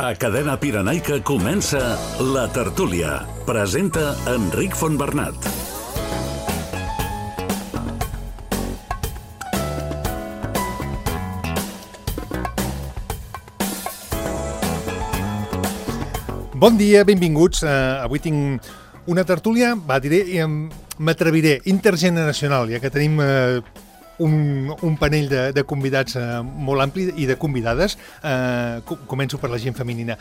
A Cadena Pirenaica comença La Tertúlia. Presenta Enric Fontbernat. Bon dia, benvinguts. Avui tinc una tertúlia, m'atreviré, intergeneracional, ja que tenim un panell de convidats molt ampli i de convidades. Començo per la gent femenina.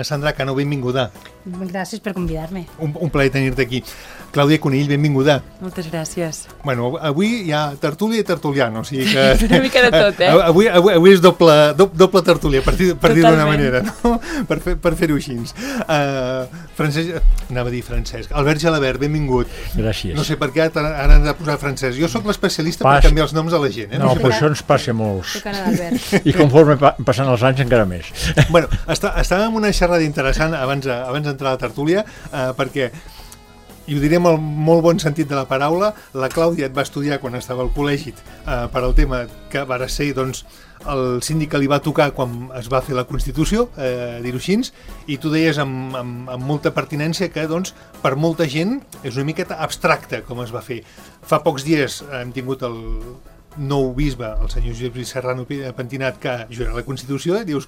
Sandra Cano, benvinguda. Gràcies per convidar-me. Un plaer tenir-te aquí. Clàudia Conill, benvinguda. Moltes gràcies. Bueno, avui hi ha tertúlia i tertuliano, o sigui que... Una mica de tot, Avui és doble tertúlia, per dir d'una manera, no? Per fer-ho així. Francesc. Albert Gelabert, benvingut. Gràcies. No sé per què ara han de posar Francesc. Jo sóc l'especialista per canviar els noms a la gent. No, però això ens passa a molts. Soc Anna d'Albert. I conforme passen els anys encara més. Bueno, estàvem en una xerrada interessant abans d'entrar a la tertúlia, perquè, i ho diré amb el molt bon sentit de la paraula, la Clàudia et va estudiar quan estava al col·legi per al tema que va ser, doncs, el síndic que li va tocar quan es va fer la Constitució, dir-ho així, i tu deies amb molta pertinència que, doncs, per molta gent és una miqueta abstracte com es va fer. Fa pocs dies hem tingut el nou bisbe, el senyor Josep Serrano Pentinat, que jura la Constitució, i dius,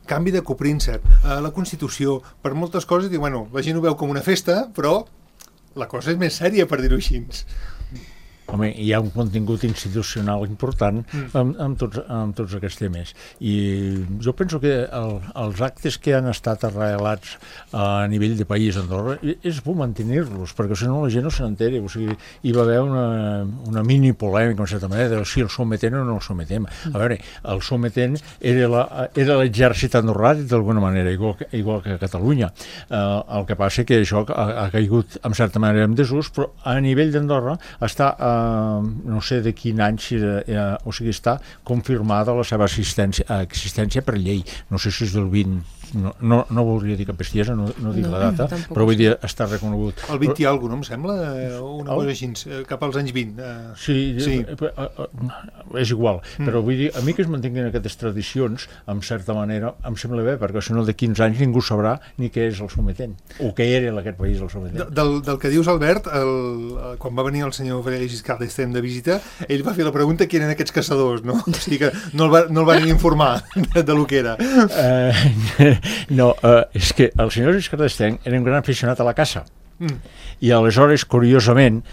canvi de copríncep, la Constitució, per moltes coses, i bueno, la gent ho veu com una festa, però la cosa és més sèria, per dir-ho així. Home, hi ha un contingut institucional important amb tots aquests temes. I jo penso que els actes que han estat arrelats a nivell de país a Andorra és bo mantenir-los, perquè si no la gent no se n'entera. O sigui, hi va haver una mini polèmica, en certa manera, de si el sometent o no el sometem. A veure, el sometent era l'exèrcit andorrà, d'alguna manera, igual que a Catalunya. El que passa que això ha caigut, en certa manera, en desús, però a nivell d'Andorra està no sé de quin any, o sigui, està confirmada la seva existència per llei. No sé si és del 20, no voldria dir cap bestiesa, no dic la data, però vull dir, està reconegut. El 20 i alguna cosa, no em sembla? Una cosa així, cap als anys 20. Sí, és igual, però vull dir, a mi que es mantinguin aquestes tradicions, en certa manera, em sembla bé, perquè si no de 15 anys ningú sabrà ni què és el sometent, o què era en aquest país el sometent. Del que dius, Albert, quan va venir el senyor Valeri Giscard d'Estaing de visita, ell va fer la pregunta qui eren aquests caçadors, no? O sigui que no el van informar de lo que era. No, és que el senyor Giscard d'Estaing era un gran aficionat a la caça. I aleshores, curiosament,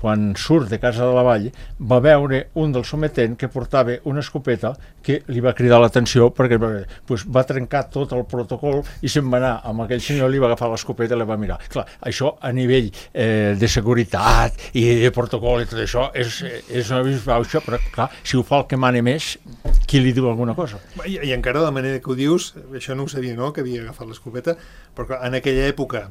quan surt de Casa de la Vall, va veure un del sometent que portava una escopeta que li va cridar l'atenció perquè va trencar tot el protocol i se'n va anar amb aquell senyor, li va agafar l'escopeta i la va mirar. Clar, això a nivell de seguretat i de protocol i tot això és una bisbauxa, però clar, si ho fa el que mane més, qui li diu alguna cosa? I encara de la manera que ho dius, això no ho sabia, no?, que havia agafat l'escopeta, però en aquella època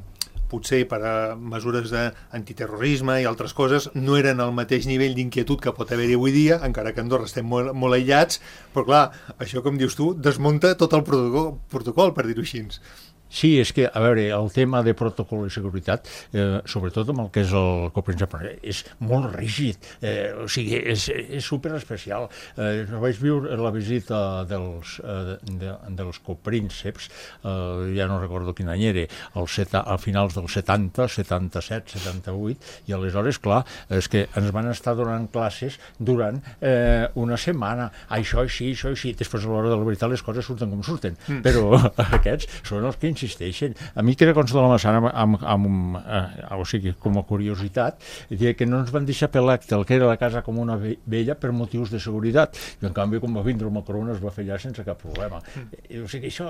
potser per a mesures d'antiterrorisme i altres coses, no eren al mateix nivell d'inquietud que pot haver-hi avui dia, encara que a Andorra estem molt aïllats, però clar, això, com dius tu, desmunta tot el protocol, per dir-ho així. Sí, és que, a veure, el tema de protocol i seguretat, sobretot amb el que és el copríncep, és molt rígid, o sigui, és superespecial. Vaig viure la visita dels coprínceps, ja no recordo quin any era, a finals dels 70, 77, 78, i aleshores, clar, és que ens van estar donant classes durant una setmana, això així, després a l'hora de la veritat les coses surten com surten, però aquests són els que insisteixen. A mi que era consta de la Massana, o sigui, com a curiositat, que no ens van deixar per l'acte el que era la casa com una vella per motius de seguretat, i en canvi quan va vindre el Macron es va fer allà sense cap problema. O sigui, això,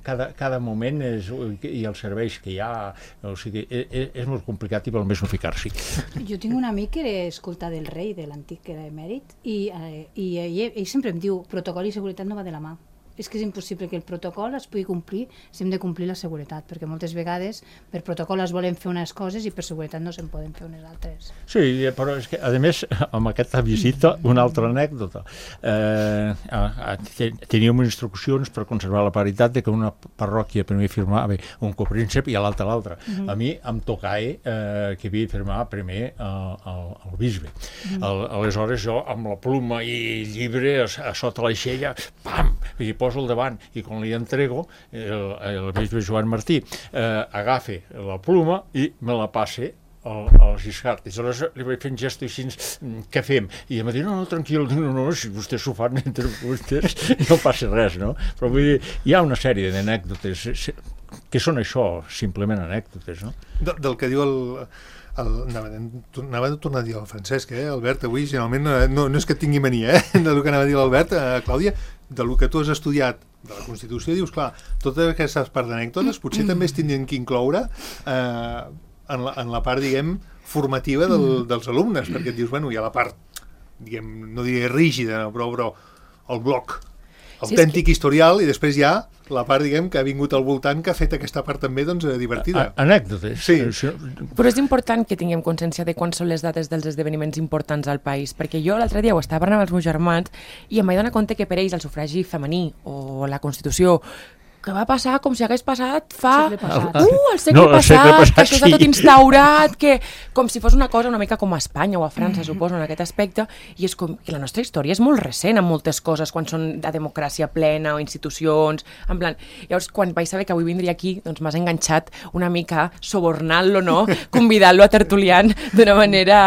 cada moment i els serveis que hi ha, o sigui, és molt complicat i val més no ficar-s'hi. Jo tinc un amic que era escolta del rei, de l'antic que era emèrit, i ell sempre em diu protocol i seguretat no va de la mà. És que és impossible que el protocol es pugui complir si hem de complir la seguretat, perquè moltes vegades per protocol es volen fer unes coses i per seguretat no se'n poden fer unes altres. Sí, però és que, a més, amb aquesta visita, una altra anècdota. Teníem instruccions per conservar la paritat de que una parròquia primer firmava un copríncep i a l'altra. A mi em tocava que havia de firmar primer el bisbe. Aleshores jo, amb la pluma i llibre a sota l'aixella, pam! poso al davant i quan li entrego, el bisbe Joan Martí agafa la pluma i me la passe al Giscard. I aleshores li vaig fer un gest així, què fem? I em va dir, no, tranquil, no, si vostès s'ho fan entre vostès, no passa res, no? Però vull dir, hi ha una sèrie d'anècdotes que són això, simplement anècdotes, no? Del que diu anava a tornar a dir el Francesc, Albert, avui generalment no és que tingui mania, del que anava a dir l'Albert, Clàudia, del que tu has estudiat de la Constitució, dius, clar, totes aquestes parts d'anècdotes potser també es tindrien que incloure en la part, diguem, formativa dels alumnes, perquè et dius, bueno, hi ha la part, diguem, no diré rígida, però el bloc autèntic historial, i després hi ha la part, diguem, que ha vingut al voltant, que ha fet aquesta part també, doncs, divertida. Anècdotes. Sí. Però és important que tinguem consciència de quan són les dates dels esdeveniments importants al país, perquè jo l'altre dia ho estava parlant amb els meus germans i em vaig donar compte que per ells el sufragi femení o la Constitució que va passar com si hagués passat fa... El segle passat. El segle passat, que això està tot instaurat, que com si fos una cosa una mica com a Espanya o a França, suposo, en aquest aspecte, i és com que la nostra història és molt recent en moltes coses, quan són de democràcia plena o institucions, en plan... Llavors, quan vaig saber que avui vindria aquí, doncs m'has enganxat una mica, subornant-lo, no?, convidant-lo a tertuliant d'una manera...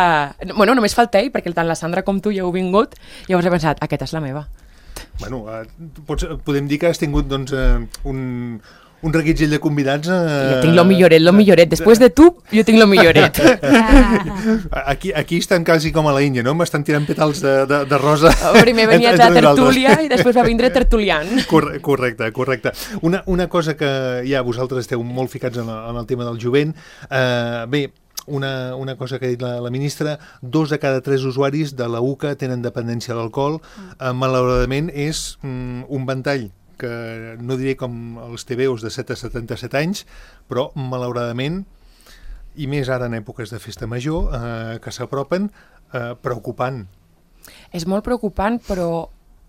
Bueno, només falta ell, perquè tant la Sandra com tu ja heu vingut, llavors he pensat, aquesta és la meva. Bueno, podem dir que has tingut, doncs, un reguitzell de convidats... Jo tinc lo milloret. Després de tu, jo tinc lo milloret. Aquí estan quasi com a la Índia, no? M'estan tirant petals de rosa. Primer venia la tertúlia i després va vindre tertuliant. Correcte. Una cosa que ja vosaltres esteu molt ficats en el tema del jovent. Bé, una cosa que ha dit la ministra, 2 de cada 3 usuaris de la UCA tenen dependència a l'alcohol. Malauradament és un ventall que no diré com els TVOs de 7 a 77 anys, però malauradament, i més ara en èpoques de festa major, que s'apropen, preocupant. És molt preocupant, però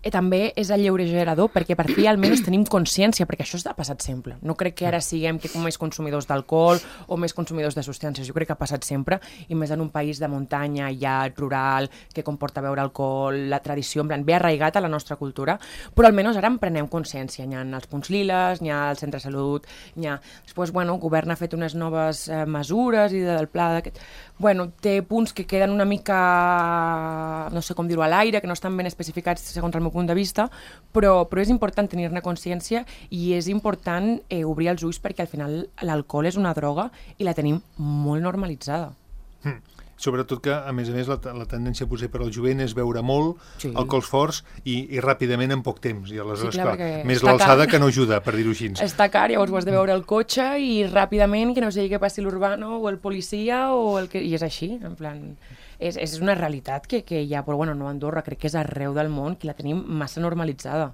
també és alleugerador, perquè per fi almenys tenim consciència, perquè això ha passat sempre. No crec que ara siguem més consumidors d'alcohol o més consumidors de substàncies. Jo crec que ha passat sempre, i més en un país de muntanya, llarg, rural, que comporta beure alcohol, la tradició, en plan, bé arraigat a la nostra cultura, però almenys ara en prenem consciència. N'hi ha els punts liles, n'hi ha el centre de salut, n'hi ha... Després, bueno, el govern ha fet unes noves mesures i del pla d'aquest... Bueno, té punts que queden una mica, no sé com dir-ho, a l'aire, que no estan ben especificats segons el meu punt de vista, però és important tenir-ne consciència i és important obrir els ulls, perquè al final l'alcohol és una droga i la tenim molt normalitzada. Sobretot que, a més, la tendència potser per al jovent és beure molt, sí, alcohols forts i ràpidament en poc temps. I aleshores, sí, clar, més l'alçada que no ajuda, per dir-ho així. Està car, llavors ho has de beure al cotxe i ràpidament, que no sigui que passi l'urbano o el policia o el que... I és així, en plan... És una realitat que hi ha, però bueno, no a Andorra, crec que és arreu del món, que la tenim massa normalitzada.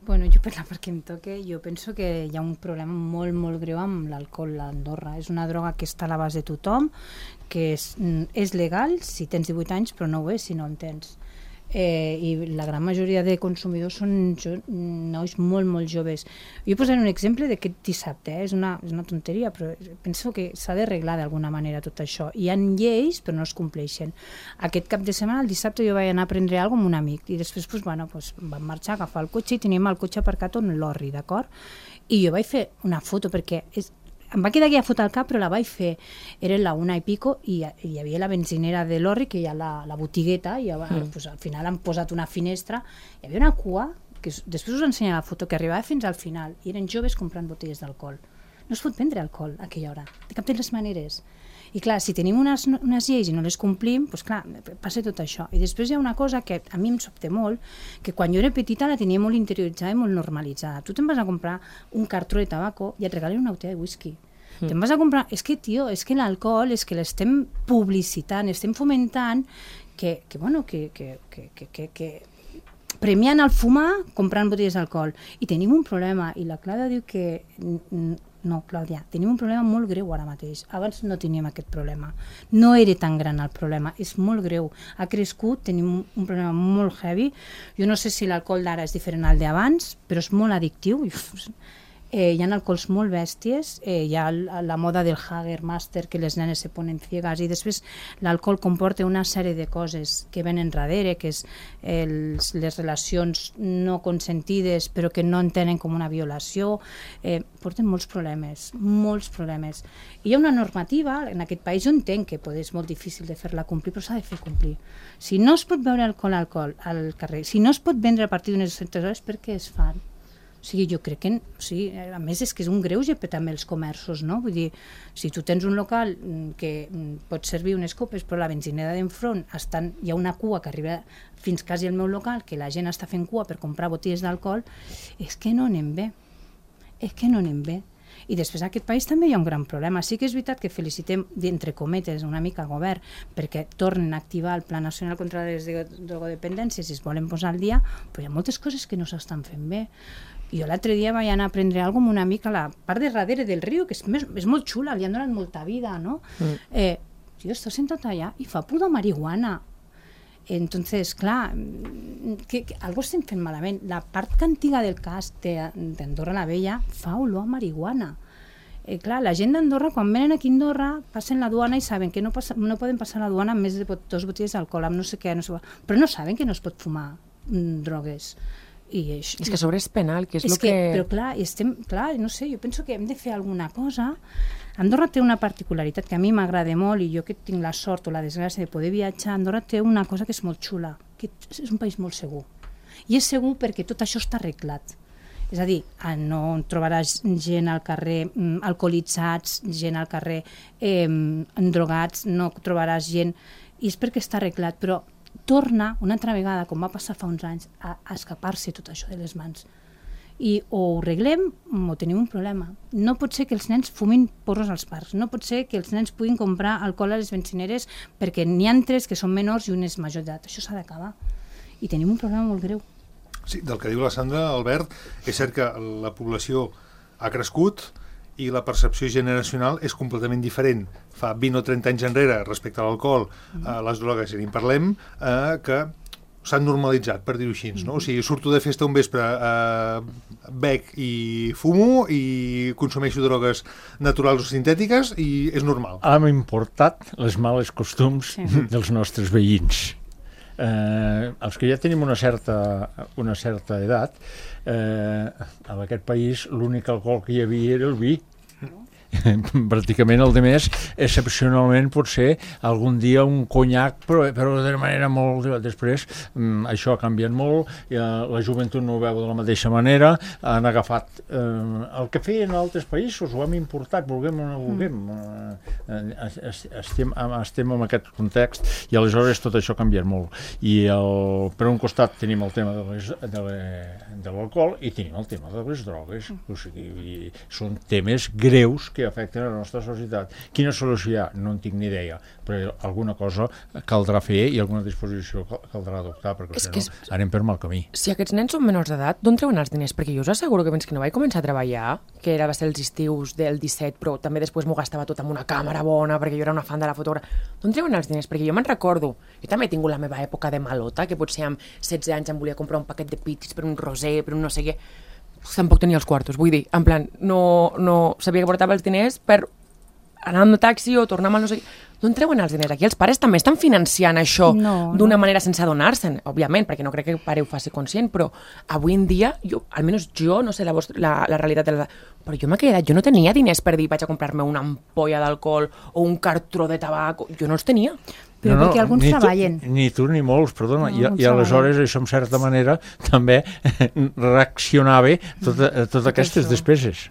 Bueno, jo per la part que em toque, jo penso que hi ha un problema molt, molt greu amb l'alcohol a Andorra. És una droga que està a l'abast de tothom, que és legal si tens 18 anys, però no ho és si no en tens. I la gran majoria de consumidors són nois molt, molt joves. Jo posaré un exemple d'aquest dissabte, és una tonteria, però penso que s'ha d'arreglar d'alguna manera tot això. Hi ha lleis, però no es compleixen. Aquest cap de setmana, el dissabte, jo vaig anar a prendre alguna cosa amb un amic, i després vam marxar a agafar el cotxe i teníem el cotxe aparcat on l'orri, d'acord? I jo vaig fer una foto, perquè em va quedar aquella foto al cap, però la vaig fer. Era la 1 i pico i hi havia la benzinera de l'orri, que hi ha la botigueta, i pues, al final han posat una finestra. Hi havia una cua, que després us ensenyaré la foto, que arribava fins al final, i eren joves comprant botelles d'alcohol. No es pot vendre alcohol a aquella hora, de cap de les maneres. I clar, si tenim unes lleis i no les complim, doncs clar, passa tot això. I després hi ha una cosa que a mi em sobta molt, que quan jo era petita la tenia molt interioritzada i molt normalitzada. Tu te'n vas a comprar un cartró de tabaco i et regalen una botella de whisky. Te'n vas a comprar... És que, tio, és que l'alcohol és que l'estem publicitant, estem fomentant que premiant el fumar comprant botelles d'alcohol. I tenim un problema, i la Clàudia diu que... No, Clàudia, tenim un problema molt greu ara mateix. Abans no teníem aquest problema. No era tan gran el problema, és molt greu. Ha crescut, tenim un problema molt heavy. Jo no sé si l'alcohol d'ara és diferent al d'abans, però és molt addictiu. Hi ha alcohols molt bèsties, hi ha la moda del Hagermaster, que les nenes se ponen ciegas, i després l'alcohol comporta una sèrie de coses que venen darrere, que és les relacions no consentides però que no entenen com una violació, porten molts problemes. I hi ha una normativa en aquest país, jo entenc que és molt difícil de fer-la complir, però s'ha de fer complir. Si no es pot beure alcohol al carrer, si no es pot vendre a partir d'unes certes hores, per què es fan? O sigui, jo crec que, a més és que és un greuge per també els comerços, no? Vull dir, si tu tens un local que pot servir unes copes, però la benzinera d'enfront hi ha una cua que arriba fins quasi al meu local, que la gent està fent cua per comprar botigues d'alcohol, és que no anem bé. I després en aquest país també hi ha un gran problema. Sí que és veritat que felicitem, entre cometes, una mica el govern, perquè tornen a activar el Pla Nacional contra les drogodependències i es volen posar al dia, però hi ha moltes coses que no s'estan fent bé. Jo l'altre dia vaig anar a prendre alguna cosa amb una amica a la part de darrere del riu, que és molt xula, li han donat molta vida, no? Jo està sentat allà i fa pudor a marihuana. Entonces, clar, algo estem fent malament. La part antiga del casc d'Andorra la Vella fa olor a marihuana. Clar, la gent d'Andorra, quan venen aquí a Andorra, passen la duana i saben que no poden passar la duana amb més de 2 botelles d'alcohol, amb no sé què, però no saben que no es pot fumar drogues. És que a sobre és penal, que és el que... Però clar, no sé, jo penso que hem de fer alguna cosa. Andorra té una particularitat que a mi m'agrada molt, i jo que tinc la sort o la desgràcia de poder viatjar, Andorra té una cosa que és molt xula, que és un país molt segur. I és segur perquè tot això està arreglat. És a dir, no trobaràs gent al carrer alcoholitzats, gent al carrer drogats, no trobaràs gent... I és perquè està arreglat, però torna una altra vegada, com va passar fa uns anys, a escapar-se tot això de les mans. I o ho arreglem o tenim un problema. No pot ser que els nens fumin porros als parcs, no pot ser que els nens puguin comprar alcohol a les benzineres perquè n'hi ha 3 que són menors i un és major d'edat. Això s'ha d'acabar. I tenim un problema molt greu. Sí, del que diu la Sandra, Albert, és cert que la població ha crescut i la percepció generacional és completament diferent. Fa 20 o 30 anys enrere, respecte a l'alcohol, les drogues, ja ni en parlem, que s'han normalitzat, per dir-ho així, no? O sigui, surto de festa un vespre, bec i fumo i consumeixo drogues naturals o sintètiques i és normal. Hem importat les males costums dels nostres veïns. Els que ja tenim una certa edat, en aquest país l'únic alcohol que hi havia era el vi. Pràcticament el de més, excepcionalment potser algun dia un conyac, però de manera molt... Després això ha canviat molt, la joventut no ho veu de la mateixa manera, han agafat el que feien altres països, ho hem importat, vulguem o no vulguem. Estem en aquest context i aleshores tot això ha canviat molt. I per un costat tenim el tema de l'alcohol i tenim el tema de les drogues. O sigui, són temes greus que afecten a la nostra societat. Quina solució hi ha? No en tinc ni idea, però alguna cosa caldrà fer i alguna disposició caldrà adoptar, perquè si no anem per mal camí. Si aquests nens són menors d'edat, d'on treuen els diners? Perquè jo us asseguro que fins que no vaig començar a treballar, que va ser els estius del 17, però també després m'ho gastava tot amb una càmera bona, perquè jo era una fan de la fotografia. D'on treuen els diners? Perquè jo me'n recordo, jo també he tingut la meva època de malota, que potser amb 16 anys em volia comprar un paquet de pitis per un roser, per un no sé què. Tampoc tenia els quartos, vull dir, en plan, no sabia que portava els diners per anar amb el taxi o tornar amb el no sé què. D'on treuen els diners? Aquí els pares també estan financiant això d'una manera sense adonar-se'n, òbviament, perquè no crec que el pare ho faci conscient, però avui en dia, almenys jo, no sé la realitat, però jo m'he quedat, jo no tenia diners per dir vaig a comprar-me una ampolla d'alcohol o un cartró de tabac, jo no els tenia. Però perquè alguns treballen. Ni tu ni molts, perdona. I aleshores això, en certa manera, també reaccionava totes aquestes despeses.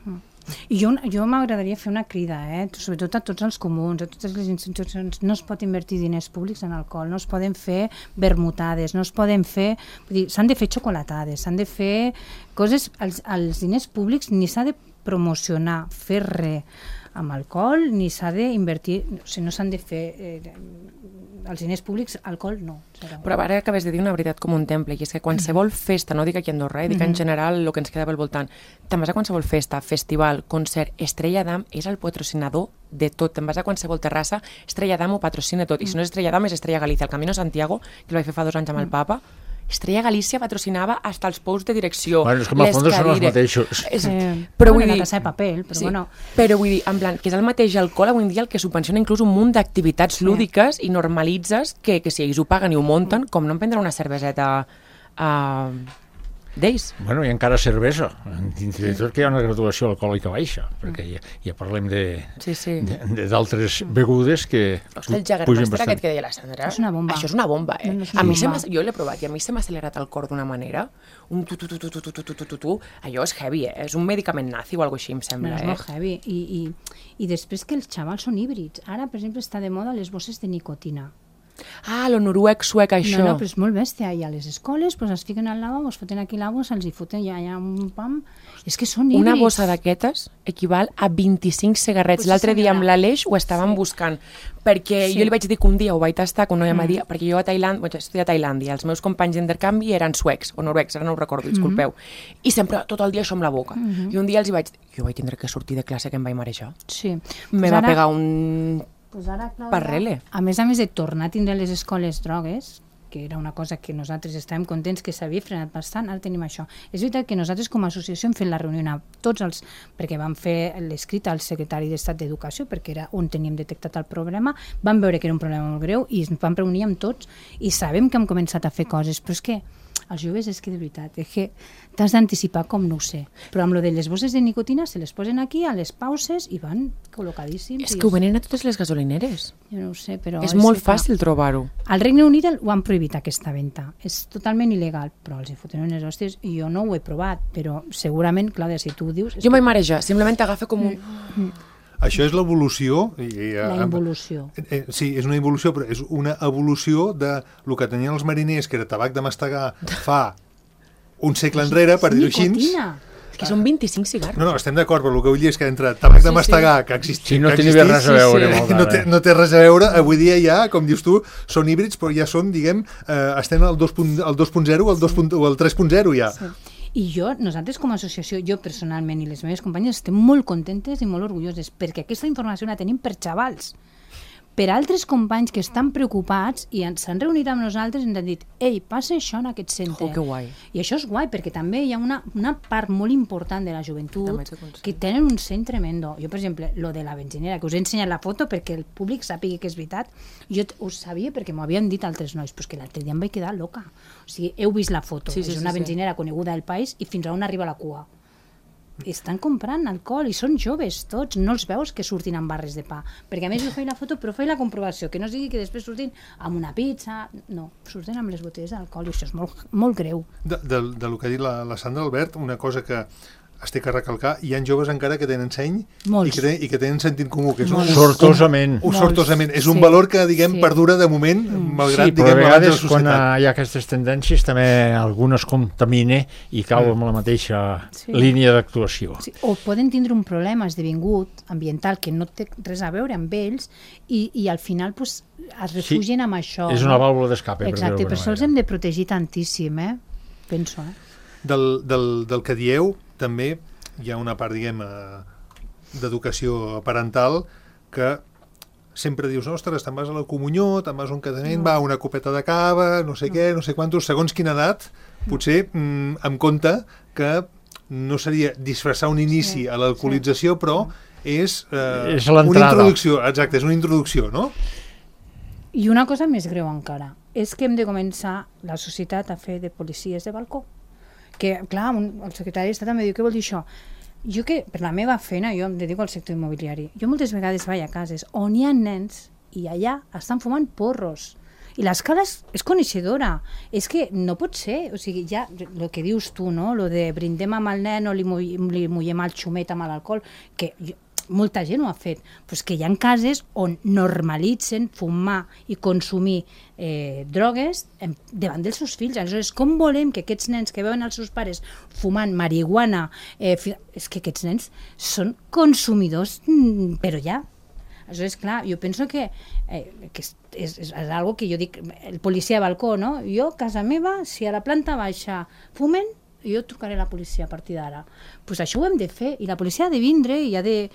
I jo m'agradaria fer una crida, sobretot a tots els comuns, a totes les institucions. No es pot invertir diners públics en alcohol, no es poden fer vermutades, no es poden fer... Vull dir, s'han de fer xocolatades, s'han de fer coses... Els diners públics ni s'ha de promocionar, fer res amb alcohol, ni s'ha d'invertir... O sigui, no s'han de fer... els diners públics, alcohol, no. Però ara acabes de dir una veritat com un temple, i és que qualsevol festa, no dic aquí a Andorra, dic en general el que ens quedava al voltant, te'n vas a qualsevol festa, festival, concert, Estrella Damm és el patrocinador de tot, te'n vas a qualsevol terrassa, Estrella Damm ho patrocina tot, i si no és Estrella Damm és Estrella Galícia, el Camino Santiago, que el vaig fer fa 2 anys amb el Papa, Estrella Galícia patrocinava hasta els pous de direcció. Bueno, és que en el fons són els mateixos. Però vull dir... La Casa de Paper, però Sí, bueno... però vull dir, en plan, que és el mateix alcohol avui en dia el que subvenciona inclús un munt d'activitats lúdiques i normalitzes que si ells ho paguen i ho munten, com no em prendre una cerveseta d'ells. Bueno, i encara cervesa. Fins i tot que hi ha una graduació alcohòlica baixa, perquè ja parlem d'altres begudes que Ostres, el pugen Jägermeister bastant. aquest que deia la Sandra. És una bomba. Això és una bomba, eh? No, és una A mi bomba. jo l'he provat i a mi se m'ha accelerat el cor d'una manera. Un tu. Allò és heavy, eh? És un medicament nazi o alguna cosa així, em sembla, És molt heavy. I després que els xavals són híbrids. Ara, per exemple, està de moda les bosses de nicotina. Ah, lo noruec suec, això. No, però és molt bèstia. I a les escoles pues, es fiquen al lavabo, es foten aquí la bossa, els hi foten ja un pam. És que són híbrids. Una bossa d'aquestes equival a 25 cigarrets. Pues L'altre dia amb senyora. l'Aleix ho estàvem buscant, perquè jo li vaig dir que un dia ho vaig tastar, que una noia m'ha dit, perquè jo a Tailàndia, he estudiat a Tailàndia, els meus companys d'intercanvi eren suecs o noruecs, ara no ho recordo, disculpeu, i sempre tot el dia això amb la boca. I un dia els hi vaig dir, jo vaig tindre que sortir de classe que em vaig marejar. Sí. Me va pegar un... Pues ara, Clàudia, Parrele. a més de tornar a tindre les escoles drogues, que era una cosa que nosaltres estàvem contents que s'havia frenat bastant, ara tenim això. És veritat que nosaltres com a associació hem fet la reunió a tots els... perquè vam fer l'escrit al secretari d'Estat d'Educació, perquè era on teníem detectat el problema, vam veure que era un problema molt greu i ens vam reunir amb tots i sabem que hem començat a fer coses, però és que els joves és que de veritat, és que t'has d'anticipar com no ho sé, però amb lo de les bosses de nicotina se les posen aquí a les pauses i van col·locadíssims. És que ho venen a totes les gasolineres. Jo no ho sé, però... És molt fàcil trobar-ho. Al Regne Unit ho han prohibit aquesta venda. És totalment il·legal, però els hi foten unes hòsties i jo no ho he provat, però segurament, Clàudia, si tu ho dius... Jo m'he marejar, simplement t'agafa com un... Això és l'evolució. La involució. Sí, és una involució, però és una evolució de lo que tenien els mariners, que era tabac de mastegar fa un segle enrere, per dir-ho així. Nicotina. És que són 25 cigarros. No, estem d'acord, però el que vull dir és que entre tabac de mastegar, que existia... Sí, no tenia res a veure amb el d'ara. No té res a veure. Avui dia ja, com dius tu, són híbrids, però ja són, diguem, estem al 2.0 o al 3.0 ja. Sí. I nosaltres com a associació, jo personalment i les meves companyes estem molt contentes i molt orgulloses perquè aquesta informació la tenim per xavals. Per altres companys que estan preocupats i s'han reunit amb nosaltres i ens han dit ei, passa això en aquest centre. Que guai. I això és guai perquè també hi ha una part molt important de la joventut que tenen un seny tremendo. Jo, per exemple, lo de la benzinera, que us he ensenyat la foto perquè el públic sàpiga que és veritat, jo ho sabia perquè m'ho havien dit altres nois, però és que l'altre dia em vaig quedar loca. O sigui, heu vist la foto, és una benzinera coneguda del país i fins a on arriba la cua. Estan comprant alcohol i són joves tots, no els veus que surtin amb barres de pa, perquè a més jo faig la foto però faig la comprovació, que no sigui que després surtin amb una pizza, no, surten amb les botelles d'alcohol i això és molt, molt greu. De lo que ha dit la Sandra Albert, una cosa que es té que recalcar, hi ha joves encara que tenen seny i que tenen sentit comú, que és sortosament. Sortosament. És un valor que, diguem, perdura de moment, malgrat, sí, però diguem, a vegades quan societat. hi ha aquestes tendències també algunes contamine i cau amb la mateixa línia d'actuació. Sí, o poden tindre un problema esdevingut ambiental que no té res a veure amb ells i al final pues, es refugien amb això. És una vàlvula d'escape. Exacte, per això els hem de protegir tantíssim, penso. Del que dieu, també hi ha una part, diguem, d'educació parental que sempre dius, ostres, te'n vas a la comunió, te'n vas a un casament, va, una copeta de cava, no sé què, no sé quantos, segons quina edat, potser em compte que no seria disfressar un inici a l'alcoholització, però és una introducció, exacte, és una introducció, no? I una cosa més greu encara, és que hem de començar la societat a fer de policies de balcó. Que, clar, el secretari d'Estat també diu, què vol dir això? Jo que, per la meva feina, jo em dedico al sector immobiliari, jo moltes vegades vaig a cases on hi ha nens i allà estan fumant porros. I l'escala és coneixedora. És que no pot ser. O sigui, ja, el que dius tu, no? Lo de brindem amb el nen o li mullem el xumet amb l'alcohol, que molta gent ho ha fet, però és que hi ha cases on normalitzen fumar i consumir drogues davant dels seus fills. Aleshores, com volem que aquests nens que veuen els seus pares fumant marihuana, és que aquests nens són consumidors, però ja. Aleshores, clar, jo penso que és algo que jo dic, el policia de balcó, no? Jo, casa meva, si a la planta baixa fumen, jo trucaré a la policia a partir d'ara. Pues això ho hem de fer, i la policia ha de vindre i ha de...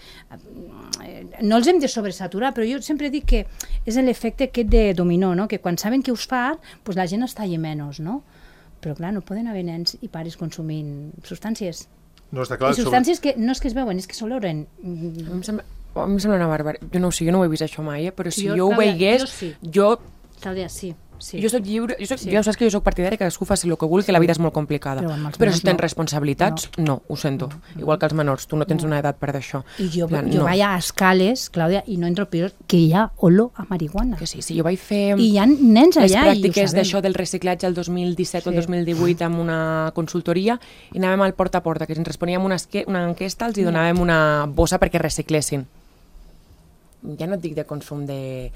No els hem de sobresaturar, però jo sempre dic que és l'efecte aquest de dominó, no? Que quan saben que us fa, pues la gent es talla menys, no? Però clar, no poden haver nens i pares consumint substàncies. No està clar. I substàncies que no és que es veuen, és que s'oloren. A mi em sembla una barbaritat. Jo no ho sé, jo no ho he vist això mai, però si jo ho Clàudia, veigués, Clàudia, sí. Jo soc lliure, ja ho saps que jo soc partidari que cadascú faci el que vulgui, que la vida és molt complicada. Però si tens responsabilitats, no, ho sento. Igual que els menors, tu no tens una edat per d'això. I jo vaig a escales, Clàudia, i no entro pisos, que hi ha olor a marihuana. Que sí, jo vaig fer... I hi ha nens allà les pràctiques d'això del reciclatge el 2017 o el 2018 amb una consultoria i anàvem al porta a porta, que ens responíem una enquesta, els hi donàvem una bossa perquè reciclessin. Ja no et dic de consum de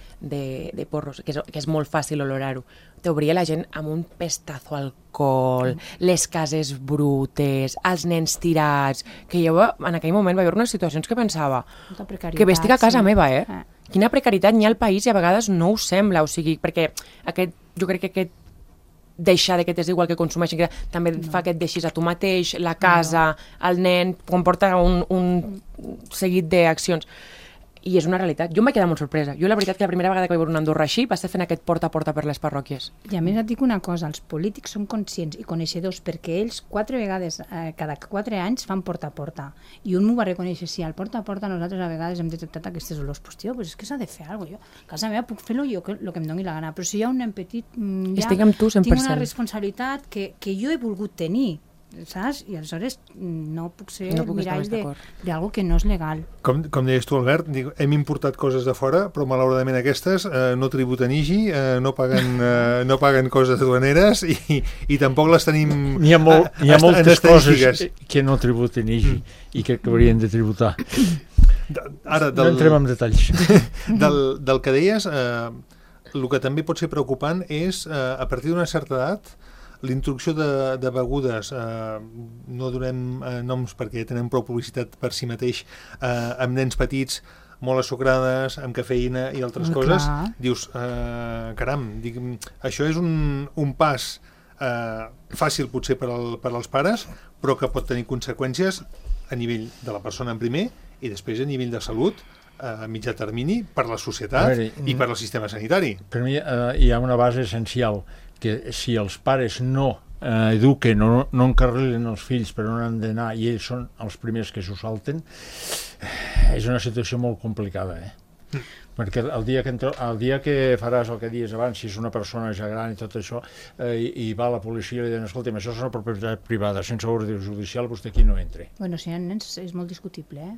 porros, que és molt fàcil olorar-ho. T'obria la gent amb un pestazo alcohol, les cases brutes, els nens tirats, que jo en aquell moment va haver unes situacions que pensava que bé estic a casa meva, Quina precarietat n'hi ha al país i a vegades no ho sembla, o sigui, perquè jo crec que aquest deixar que t'és igual que consumeixin, que també fa que et deixis a tu mateix, la casa, el nen, comporta un seguit d'accions. I és una realitat. Jo em vaig quedar molt sorpresa. Jo la veritat que la primera vegada que vaig veure una Andorra així va ser fent aquest porta a porta per les parròquies. I a més et dic una cosa, els polítics són conscients i coneixedors perquè ells 4 vegades cada 4 anys fan porta a porta. I un m'ho va reconèixer, si al porta a porta nosaltres a vegades hem detectat aquestes olors, pues tio, pues és que s'ha de fer alguna cosa. Jo a casa meva puc fer-lo jo el que em doni la gana, però si hi ha un nen petit, estic amb tu 100%. Tinc una responsabilitat que jo he volgut tenir, saps? I aleshores no puc ser mirall d'algo que no és legal. Com deies tu, Albert, hem importat coses de fora, però malauradament aquestes no tributen IGI, no paguen coses aduaneres i tampoc les tenim. Hi ha moltes coses que no tributen IGI i que haurien de tributar. No entrem en detalls. Del que deies, el que també pot ser preocupant és, a partir d'una certa edat, l'introducció de begudes, no donem noms perquè tenen prou publicitat per si mateix, amb nens petits, molt assucrades, amb cafeïna i altres coses, dius, caram, això és un pas fàcil potser per als pares, però que pot tenir conseqüències a nivell de la persona en primer i després a nivell de salut a mitjà termini per la societat i per al sistema sanitari. Per mi hi ha una base essencial, que si els pares no eduquen, no encarrilen els fills per on han d'anar i ells són els primers que s'ho salten, és una situació molt complicada, perquè el dia que faràs el que dius abans, si és una persona ja gran i tot això, i va a la policia i li diuen, escolta'm, això és una propietat privada, sense ordre judicial, vostè aquí no entra. Bueno, si hi ha nens és molt discutible,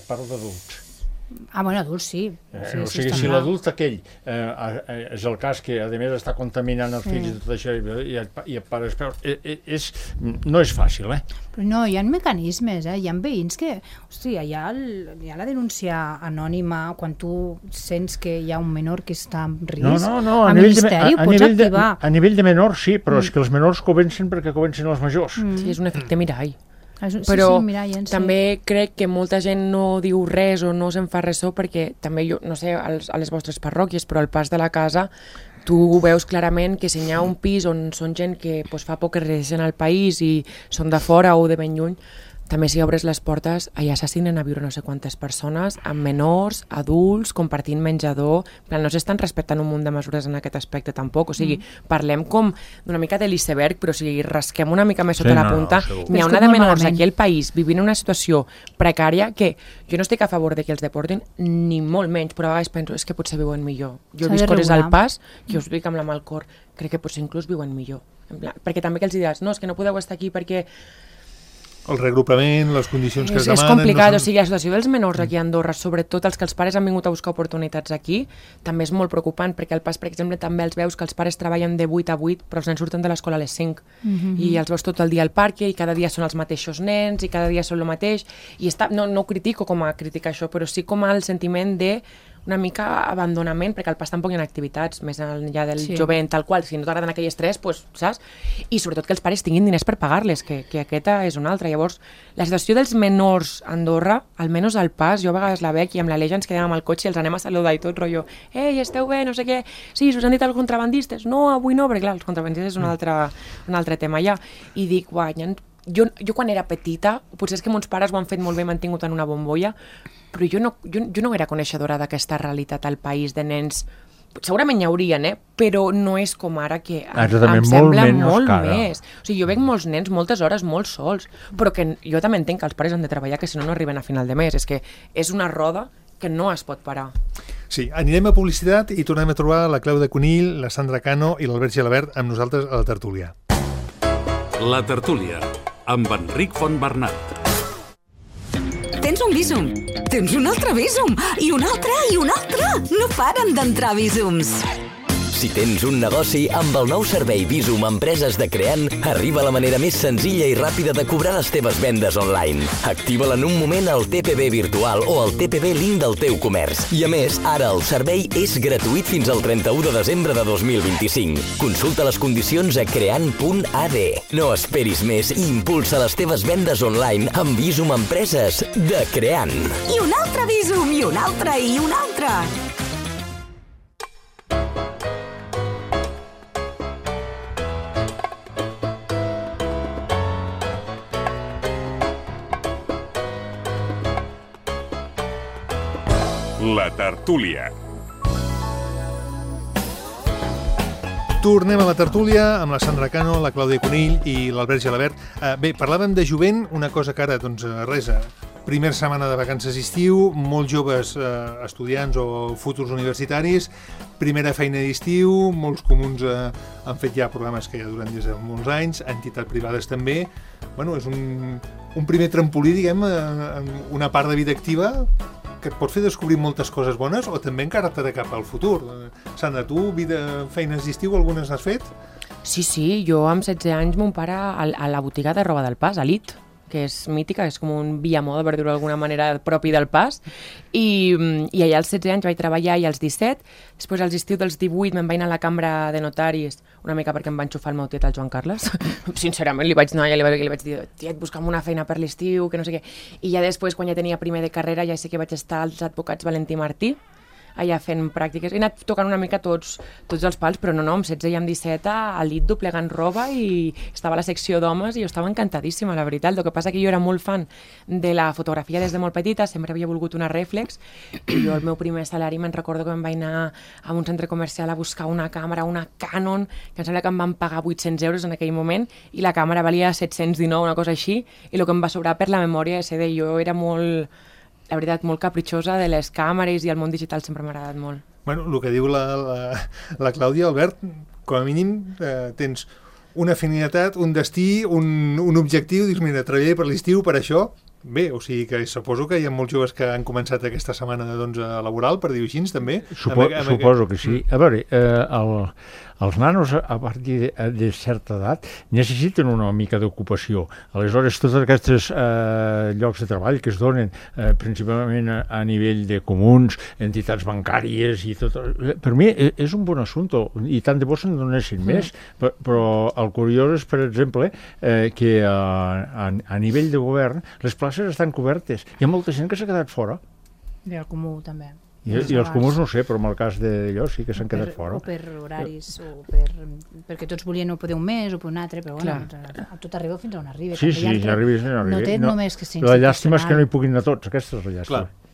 Parlo d'adults. Bueno, adults sí. O sigui, si l'adult aquell és el cas que a més està contaminant els fills i tot això i el pare no és fàcil, Però no, hi ha mecanismes, hi ha veïns que, hòstia, hi ha la denúncia anònima quan tu sents que hi ha un menor que està en risc. No, a nivell de menors sí, però és que els menors comencen perquè comencen els majors. Sí, és un efecte mirall. Però també crec que molta gent no diu res o no se'n fa ressò perquè també, jo no sé, a les vostres parròquies, però al pas de la casa tu veus clarament que si hi ha un pis on són gent que fa poc que resideixen al país i són de fora o de ben lluny, també si obres les portes, allà s'assinen a viure no sé quantes persones, amb menors, adults, compartint menjador. No s'estan respectant un munt de mesures en aquest aspecte tampoc. O sigui, parlem com d'una mica de l'iceberg, però si rasquem una mica més sota la punta, n'hi ha una de menors aquí al país vivint una situació precària que jo no estic a favor de que els deportin, ni molt menys, però a vegades penso, és que potser viuen millor. Jo he vist coses al pas que us dic amb la mà al cor, crec que potser inclús viuen millor. Perquè també que els diràs, no, és que no podeu estar aquí perquè el regrupament, les condicions que es demanen... És complicat, o sigui, la situació dels menors aquí a Andorra, sobretot els que els pares han vingut a buscar oportunitats aquí, també és molt preocupant, perquè al pas, per exemple, també els veus que els pares treballen de 8 a 8, però els nens surten de l'escola a les 5, i els veus tot el dia al parc, i cada dia són els mateixos nens, i cada dia són el mateix, i no ho critico com a criticar això, però sí com el sentiment de una mica abandonament, perquè al pas tampoc hi ha activitats més enllà del jovent, tal qual, si no t'agraden aquelles tres, saps? I sobretot que els pares tinguin diners per pagar-les, que aquesta és una altra. Llavors, la situació dels menors a Andorra, almenys al pas, jo a vegades la veig i amb la Leia ens quedem amb el cotxe i els anem a saludar i tot, rotllo, ei, esteu bé, no sé què, sí, us han dit els contrabandistes, no, avui no, perquè clar, els contrabandistes és un altre tema ja, i dic, jo quan era petita, potser és que mons pares ho han fet molt bé, m'han tingut en una bombolla, però jo no era coneixedora d'aquesta realitat al país de nens segurament hi haurien, però no és com ara, que Exactament, em sembla molt cara. més. O sigui, jo veig molts nens moltes hores molt sols, però que jo també entenc que els pares han de treballar, que si no, no arriben a final de mes. És que és una roda que no es pot parar. Sí, anirem a publicitat i tornem a trobar la Clàudia Conill, la Sandra Cano i l'Albert Gelabert amb nosaltres a la tertúlia. La tertúlia, amb Enric Fontbernat. Tens un Bizum, tens un altre Bizum, i un altre, i un altre. No paren d'entrar Bizums. Si tens un negoci, amb el nou servei Bizum Empreses de Creant, arriba la manera més senzilla i ràpida de cobrar les teves vendes online. Activa-la en un moment al TPB virtual o al TPB link del teu comerç. I a més, ara el servei és gratuït fins al 31 de desembre de 2025. Consulta les condicions a creant.ad. No esperis més i impulsa les teves vendes online amb Bizum Empreses de Creant. I un altre Bizum, i un altre, i un altre. La tertúlia. Tornem a la tertúlia amb la Sandra Cano, la Clàudia Conill i l'Albert Gelabert. Bé, parlàvem de jovent, una cosa que ara, doncs, res, primera setmana de vacances d'estiu, molts joves estudiants o futurs universitaris, primera feina d'estiu, molts comuns han fet ja programes que ja duren des de molts anys, entitats privades també. Bueno, és un primer trampolí, diguem, en una part de vida activa que et pot fer descobrir moltes coses bones o també encarar-te de cap al futur. Sandra, tu, feines d'estiu, algunes n'has fet? Sí, jo amb 16 anys mon pare a la botiga de roba del Pas, Elite, que és mítica, és com un via moda, per dir-ho d'alguna manera, propi del Pas, i allà als 16 anys vaig treballar i als 17, després als estiu dels 18 me'n vaig anar a la cambra de notaris, una mica perquè em va enxufar el meu tiet, el Joan Carles. Sincerament, li vaig anar i li vaig dir, tiet, busca'm una feina per l'estiu, que no sé què. I ja després, quan ja tenia primer de carrera, ja sé que vaig estar als advocats Valentí Martí, allà fent pràctiques. He anat tocant una mica tots els pals, però no, amb 16 i amb 17 al llit doblegant roba i estava a la secció d'homes i jo estava encantadíssima, la veritat. El que passa que jo era molt fan de la fotografia des de molt petita, sempre havia volgut una rèflex i jo el meu primer salari me'n recordo que me'n vaig anar a un centre comercial a buscar una càmera, una Canon, que em sembla que em van pagar 800 euros en aquell moment i la càmera valia 719, una cosa així, i el que em va sobrar per la memòria SD. Jo era molt, la veritat, molt capritxosa de les càmeres i el món digital sempre m'ha agradat molt. Bueno, el que diu la Clàudia, Albert, com a mínim tens una afinitat, un destí, un objectiu, dius, mira, treballaré per l'estiu per això. Bé, o sigui que suposo que hi ha molts joves que han començat aquesta setmana laboral, per dir-ho així, també. Suposo que sí. A veure, els nanos a partir de certa edat necessiten una mica d'ocupació. Aleshores, tots aquests llocs de treball que es donen principalment a nivell de comuns, entitats bancàries i tot, per mi és un bon assumpte i tant de bo se'n donessin més, però el curiós és, per exemple, que a nivell de govern les places estan cobertes. Hi ha molta gent que s'ha quedat fora. I el comú també. I els comuns no sé, però en el cas d'allò sí que s'han quedat fora. O per horaris, o perquè tots volien no poder un mes o per un altre, però bueno, tot arriba fins on arriba. Sí, arriba. No té només que ser la llàstima és que no hi puguin anar tots, aquesta és la llàstima.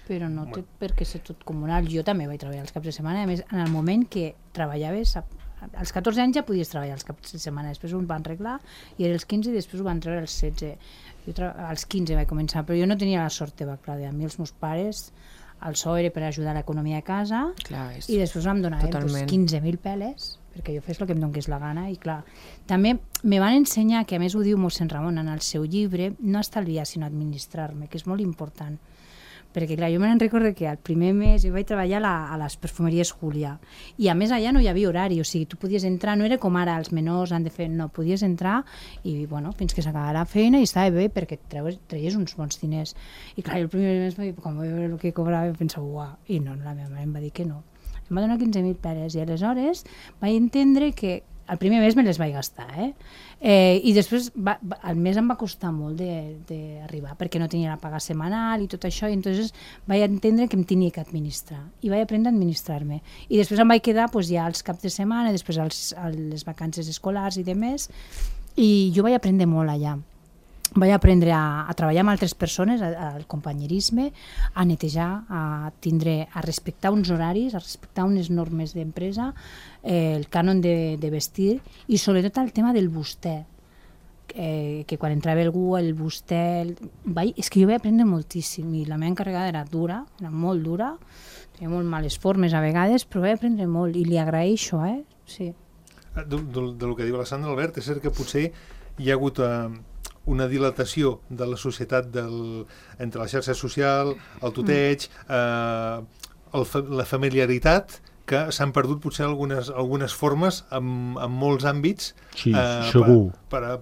Però no té per què ser tot comunal. Jo també vaig treballar els caps de setmana, a més, en el moment que treballaves, als 14 anys ja podies treballar els caps de setmana, després ho van arreglar, i era els 15 i després ho van treure als 16. Jo als 15 vaig començar, però jo no tenia la sort teva, Clàudia. A mi els meus pares, el sou era per ajudar a l'economia de casa. Clar, i després vam donar 15.000 peles perquè jo fes el que em donés la gana. I clar, també me van ensenyar, que a més ho diu mossèn Ramon en el seu llibre, no estalviar sinó administrar-me, que és molt important. Perquè clar, jo me'n recordo que el primer mes jo vaig treballar a les perfumeries Júlia i a més allà no hi havia horari, o sigui, tu podies entrar, no era com ara els menors han de fer, no, podies entrar i bueno, fins que s'acabava la feina i estava bé perquè treies uns bons diners. I clar, el primer mes quan vaig veure el que cobrava pensava, uah, i no, la meva mare em va dir que no. Em va donar 15.000 peles i aleshores vaig entendre que el primer mes me les vaig gastar, i després el mes em va costar molt d'arribar perquè no tenia la paga setmanal i tot això, i entonces vaig entendre que em tenia que administrar i vaig aprendre a administrar-me i després em vaig quedar ja als caps de setmana, després a les vacances escolars i demés, i jo vaig aprendre molt allà. vaig aprendre a treballar amb altres persones, al companyerisme, a netejar, a respectar uns horaris, a respectar unes normes d'empresa, el cànon de vestir i sobretot el tema del vostè. Que quan entrava algú, el vostè... És que jo vaig aprendre moltíssim i la meva encarregada era dura, era molt dura, tenia molt males formes a vegades, però vaig aprendre molt i li agraeixo, sí. Del que diu la Sandra, Albert, és cert que potser hi ha hagut una dilatació de la societat entre la xarxa social, el tuteig, la familiaritat, que s'han perdut potser algunes formes en molts àmbits per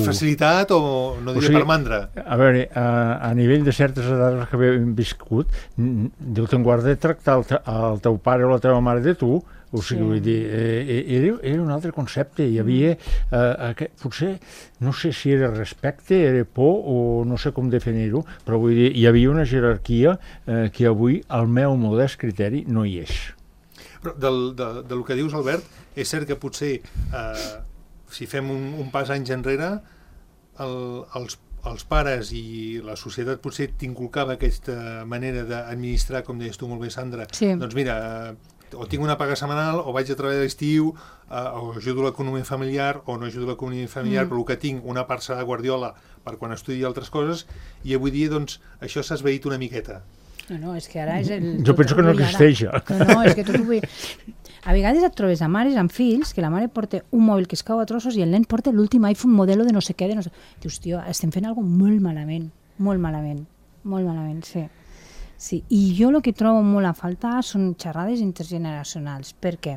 facilitat o no diria per mandra. A veure, a nivell de certes edats que hem viscut, Déu te'n guarda de tractar el teu pare o la teva mare de tu. O sigui, vull dir, era un altre concepte. Hi havia, potser, no sé si era respecte, era por, o no sé com definir-ho, però vull dir, hi havia una jerarquia que avui, al meu modest criteri, no hi és. Però del que dius, Albert, és cert que potser, si fem un pas anys enrere, els pares i la societat potser t'inculcava aquesta manera d'administrar, com deies tu molt bé, Sandra, doncs mira, o tinc una paga setmanal, o vaig a treballar l'estiu, o ajudo l'economia familiar, o no ajudo l'economia familiar, però el que tinc, una part serà de guardiola per quan estudi altres coses, i avui dia, doncs, això s'ha esvaït una miqueta. No, és que ara és el... Jo penso que no existeix. No, és que tot ho vull... A vegades et trobes a mares amb fills que la mare porta un mòbil que es cau a trossos i el nen porta l'últim iPhone modelo de no sé què, Dius, tio, estem fent alguna cosa molt malament, sí. Sí, i jo el que trobo molt a faltar són xerrades intergeneracionals. Per què?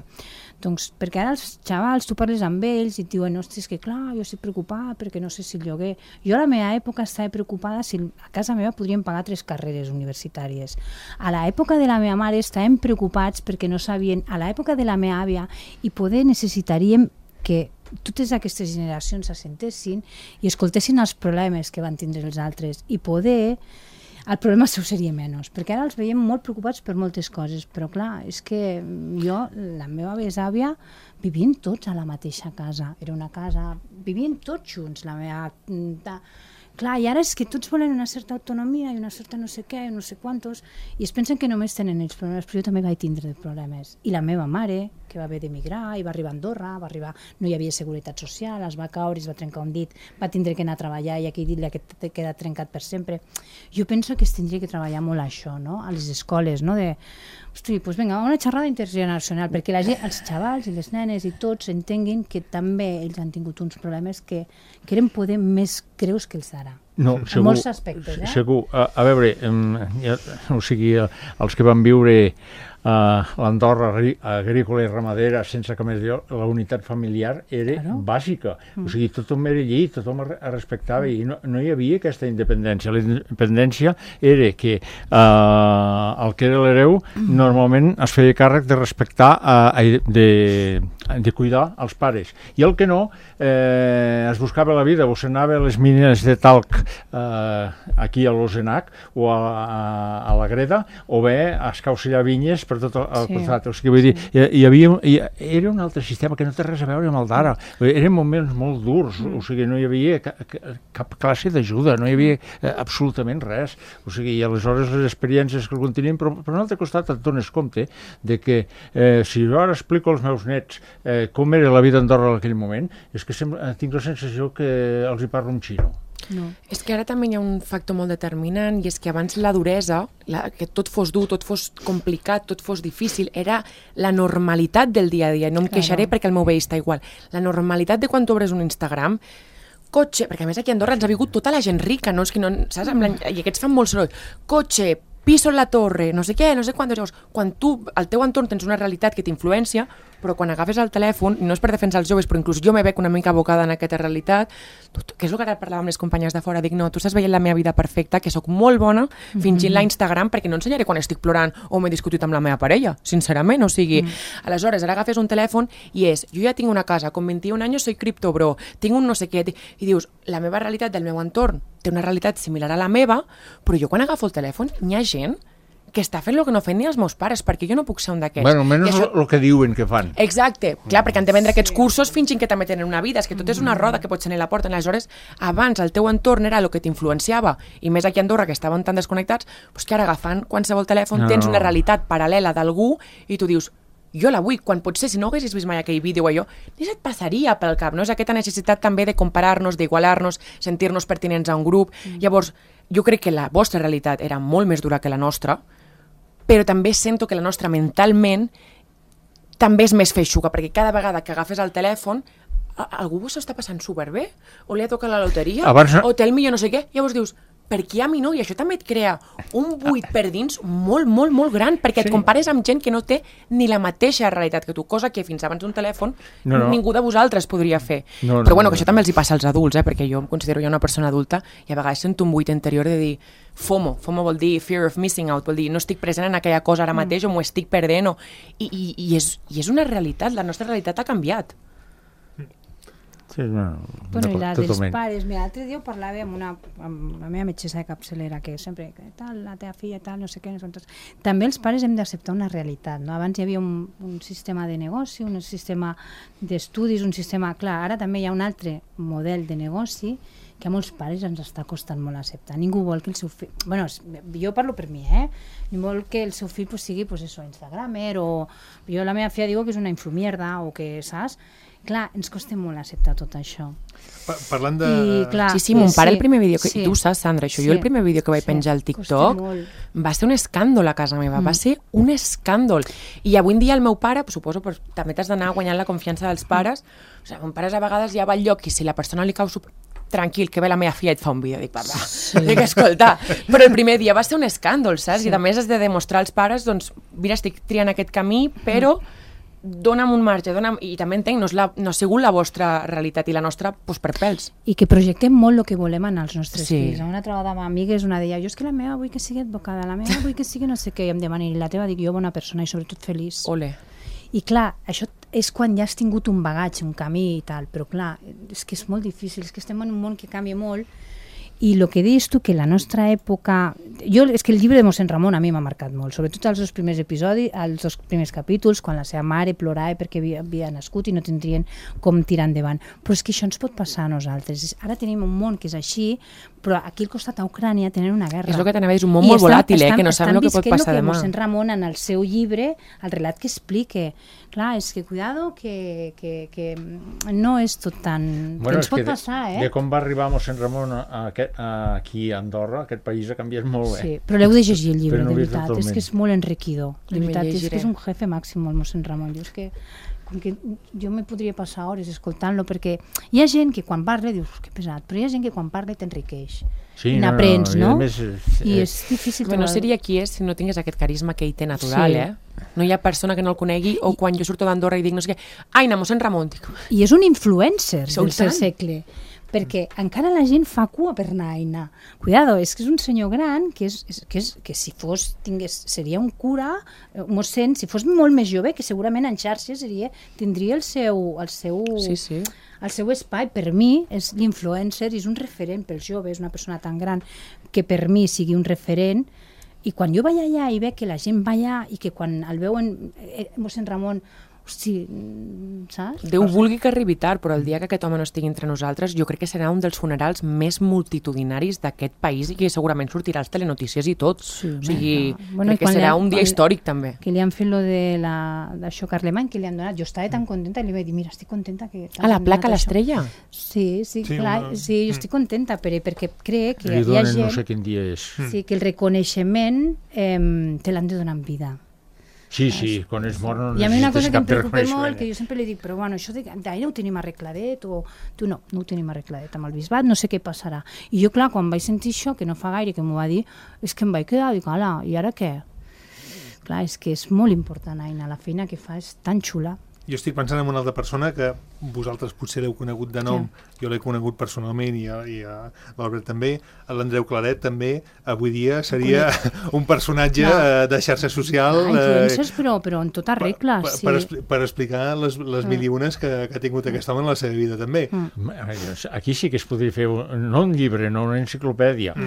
Doncs perquè ara els xavals, tu parles amb ells i et diuen, ostres, que clar, jo estic preocupada perquè no sé si el lloguer... Jo a la meva època estava preocupada si a casa meva podríem pagar 3 carreres universitàries. A l'època de la meva mare estàvem preocupats perquè no sabien... A l'època de la meva àvia i poder necessitaríem que totes aquestes generacions s'assentessin i escoltessin els problemes que van tindre els altres i poder... El problema seu seria menys, perquè ara els veiem molt preocupats per moltes coses, però clar, és que jo, la meva besàvia, vivien tots a la mateixa casa, era una casa, vivien tots junts, la meva... Clar, i ara és que tots volen una certa autonomia i una certa no sé què, no sé quantos, i es pensen que només tenen ells problemes, però jo també vaig tindre problemes. I la meva mare, que va haver d'emigrar, i va arribar a Andorra, no hi havia seguretat social, es va caure, es va trencar un dit, va tindre que anar a treballar i aquell dit li ha quedat trencat per sempre. Jo penso que es tindria que treballar molt això, no? A les escoles, no? Hosti, doncs vinga, una xerrada intergeneracional, perquè els xavals i les nenes i tots entenguin que també ells han tingut uns problemes que eren poder més greus que els d'ara. No, segur, en molts aspectes, Segur. A veure, o sigui, els que van viure l'Andorra agrícola i ramadera sense cap més Déu, la unitat familiar era bàsica. O sigui, tothom era allí, tothom es respectava i no hi havia aquesta independència. La independència era que el que era l'hereu normalment es feia càrrec de respectar, de cuidar els pares. I el que no, es buscava la vida, o s'anava a les mines de talc aquí a l'Osenac o a la Greda, o bé a escaucellar vinyes per tot el costat. O sigui, vull dir, era un altre sistema que no té res a veure amb el d'ara. Eren moments molt durs, o sigui, no hi havia cap classe d'ajuda, no hi havia absolutament res. O sigui, i aleshores les experiències que algun tenien, però per un altre costat et dones compte de que si jo ara explico als meus nets com era la vida a Andorra en aquell moment, és que tinc la sensació que els hi parlo en xino. No. És que ara també hi ha un factor molt determinant i és que abans la duresa, que tot fos dur, tot fos complicat, tot fos difícil, era la normalitat del dia a dia. No em queixaré perquè el meu veí està igual. La normalitat de quan tu obres un Instagram, cotxe, perquè a més aquí a Andorra ens ha vingut tota la gent rica, no? És que no, saps? I aquests fan molt soroll. Cotxe, piso en la torre, no sé què, no sé quant. Llavors, quan tu, al teu entorn, tens una realitat que t'influència, però quan agafes el telèfon, no és per defensar els joves, però inclús jo me veig una mica abocada en aquesta realitat, que és el que ara parlàvem amb les companyes de fora, dic, no, tu estàs veient la meva vida perfecta, que sóc molt bona fingint-la a Instagram perquè no ensenyaré quan estic plorant o m'he discutit amb la meva parella, sincerament, o sigui, aleshores, ara agafes un telèfon i jo ja tinc una casa, con 21 anys soy criptobro, tinc un no sé què, i dius, la meva realitat del meu entorn té una realitat similar a la meva, però jo quan agafo el telèfon hi ha gent que està fent el que no fan ni els meus pares, perquè jo no puc ser un d'aquests. Bueno, almenys el que diuen que fan. Exacte, clar, perquè han de vendre aquests cursos fingint que també tenen una vida, és que tot és una roda que pots tenir a la porta. Aleshores, abans el teu entorn era el que t'influenciava, i més aquí a Andorra, que estaven tan desconnectats, doncs que ara agafant qualsevol telèfon tens una realitat paral·lela d'algú i tu dius, jo la vull, quan potser si no haguessis vist mai aquell vídeo o allò, ni se't passaria pel cap, no? És aquesta necessitat també de comparar-nos, d'igualar-nos, sentir-nos pertinents a un grup. Llavors, jo crec que la vostra realitat era molt més dura que la nostra, però també sento que la nostra mentalment també és més feixuga, perquè cada vegada que agafes el telèfon algú s'ho està passant superbé, o li ha tocat la loteria, o té el millor no sé què, llavors dius, per què a mi no? I això també et crea un buit per dins molt, molt, molt gran, perquè et compares amb gent que no té ni la mateixa realitat que tu, cosa que fins abans d'un telèfon ningú de vosaltres podria fer. Però bueno, que això també els hi passa als adults, perquè jo em considero ja una persona adulta i a vegades sento un buit interior de dir FOMO vol dir fear of missing out, vol dir no estic present en aquella cosa ara mateix o m'ho estic perdent, i és una realitat, la nostra realitat ha canviat. Sí, no, bueno, i la dels pares, mira, l'altre dia ho parlava amb la meva metgessa de capçalera, que sempre, tal, la teva filla, tal, no sé què, també els pares hem d'acceptar una realitat, no? Abans hi havia un sistema de negoci, un sistema d'estudis, un sistema, clar, ara també hi ha un altre model de negoci que a molts pares ens està costant molt acceptar. Ningú vol que el seu fill... Bueno, jo parlo per mi, Ningú vol que el seu fill sigui, pues eso, instagramer, o... Jo la meva filla diu que és una influmierda, o que, saps? Clar, ens costa molt acceptar tot això. Parlant de... Sí, mon pare, el primer vídeo... I tu saps, Sandra, això. Jo el primer vídeo que vaig penjar al TikTok va ser un escàndol a casa meva. Va ser un escàndol. I avui en dia el meu pare, suposo, també t'has d'anar guanyant la confiança dels pares. O sigui, mon pare a vegades ja va al lloc i si la persona li cau tranquil, que ve la meva filla i et fa un vídeo. Dic, papa, dic, escolta. Però el primer dia va ser un escàndol, saps? I a més has de demostrar als pares, doncs, mira, estic triant aquest camí, però dona'm un marge, i també entenc, no ha sigut la vostra realitat i la nostra per pèls. I que projectem molt el que volem en els nostres fills. Una trobada amb amigues, una deia, jo és que la meva vull que sigui advocada, la meva vull que sigui no sé què, i em demana, i la teva dic jo bona persona i sobretot feliç. Ole. I clar, això és quan ja has tingut un bagatge, un camí i tal, però clar, és que és molt difícil, és que estem en un món que canvia molt. I el que dius tu, que la nostra època... És que el llibre de mossèn Ramon a mi m'ha marcat molt, sobretot els dos primers episodis, els dos primers capítols, quan la seva mare plorava perquè havia nascut i no tindrien com tirar endavant. Però és que això ens pot passar a nosaltres. Ara tenim un món que és així, però aquí al costat a Ucrània tenen una guerra. És el que t'anava a dir, és un món molt volàtil, que no sabem el que pot passar demà. Mossèn Ramon en el seu llibre, el relat que explica, clar, és que cuidado, que no és tot tan... Bueno, ens pot passar, de com va arribar mossèn Ramon aquí a Andorra, aquest país ha canviat molt bé. Sí, però l'heu de llegir el llibre, de veritat, és que és molt enriquidor, de veritat, és que és un jefe màxim el mossèn Ramon, jo és que jo me podria passar hores escoltant-lo, perquè hi ha gent que quan parla dius que pesat, però hi ha gent que quan parla t'enriqueix, i n'aprens, no? I és difícil. No seria qui és si no tingués aquest carisma que ell té natural, No hi ha persona que no el conegui, o quan jo surto d'Andorra i dic no sé què, Aina, mossèn Ramon, dic... I és un influencer del seu segle, perquè encara la gent fa cua per anar a Aina. Cuidado, és que és un senyor gran que si fos, seria un cura, un mossèn, si fos molt més jove, que segurament en xarxes tindria el seu espai. Per mi és l'influencer, és un referent pels joves, una persona tan gran que per mi sigui un referent. I quan jo vaig allà i veig que la gent va allà i que quan el veuen mossèn Ramon, hosti, saps? Déu vulgui que arribi tard, però el dia que aquest home no estigui entre nosaltres, jo crec que serà un dels funerals més multitudinaris d'aquest país i que segurament sortirà als telenotícies i tot. O sigui, crec que serà un dia històric també. Que li han fet lo d'això Carlemany, que li han donat. Jo estava tan contenta i li vaig dir, mira, estic contenta que... Ah, la placa, l'estrella? Sí, clar, sí, jo estic contenta perquè crec que hi ha gent... no sé quin dia és. Sí, que el reconeixement te l'han de donar en vida. Sí, quan és mort no necessites cap reconeixement. I a mi una cosa que em preocupa molt, que jo sempre li dic, però bueno, això d'ahir ho tenim arregladet, o tu no ho tenim arregladet amb el bisbat, no sé què passarà. I jo, clar, quan vaig sentir això, que no fa gaire que m'ho va dir, és que em vaig quedar, dic, ala, i ara què? Clar, és que és molt important, Aina, la feina que fa és tan xula. Jo estic pensant en una altra persona que vosaltres potser l'heu conegut de nom, jo l'he conegut personalment i l'Albert també, l'Andreu Claret també, avui dia seria un personatge de xarxa social... Influencers, però en tota regla, sí. Per explicar les mil i unes que ha tingut aquest home en la seva vida també. Aquí sí que es podria fer, no un llibre, no una enciclopèdia,